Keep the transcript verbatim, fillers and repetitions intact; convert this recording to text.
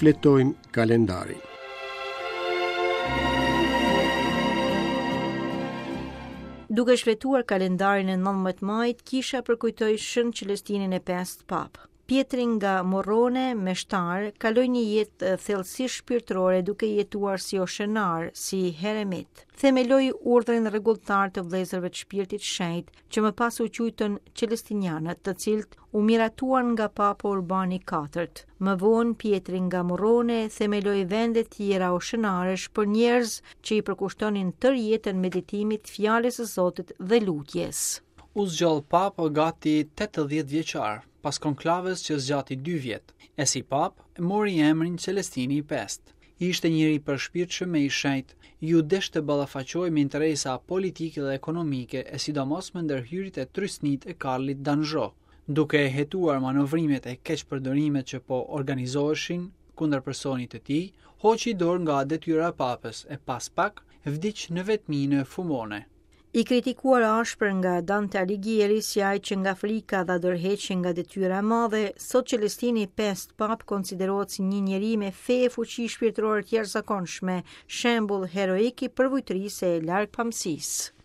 Shfletojmë kalendarin. Duke shfletuar kalendarin e nëntëmbëdhjetë majit, kisha përkujtoi Shën Celestinin e pestë Papë. Pjetri nga Morrone, meshtar, kaloi një jetë thellësisht shpirtërore duke jetuar si oshenar, si heremit. Themeloi urdhrin rregulltar të vëllezërve të Shpirtit Shenjt, që më pas u quajtën Celestinianët, të cilët u miratuan nga Papa Urbani i katërt. Më vonë Pjetri nga Morrone themeloi vende tjera oshenarësh për njerëz që i përkushtonin tërë jetën meditimit, fjalës së Zotit dhe lutjes. U zgjodh papë gati tetëdhjetë vjeçar, pas konklavës që zgjati dy vjet, e si papë mori emrin Celestini i pestë. Ishte njeri i përshpirtshëm e i shenjtë, iu desh të ballafaqohej me interesa politike dhe ekonomike e sidomos me ndërhyrjet e trysnit e Karlit d'Anjou, duke e hetuar manovrimet e keqpërdorimet që po organizoheshin kundër personit të tij, hoqi dorë nga detyra e papës e pas pak vdiq në vetmi në Fumone. I kritikuar ashpër nga Dante Alighieri si ai që nga frika dha dorëheqje nga detyra e madhe, sot Celestini i pestë Papë konsiderohet si një njeri me fe e fuqi shpirtërore të jashtëzakonshme, shembull heroik i përvujtërisë e largpamësisë.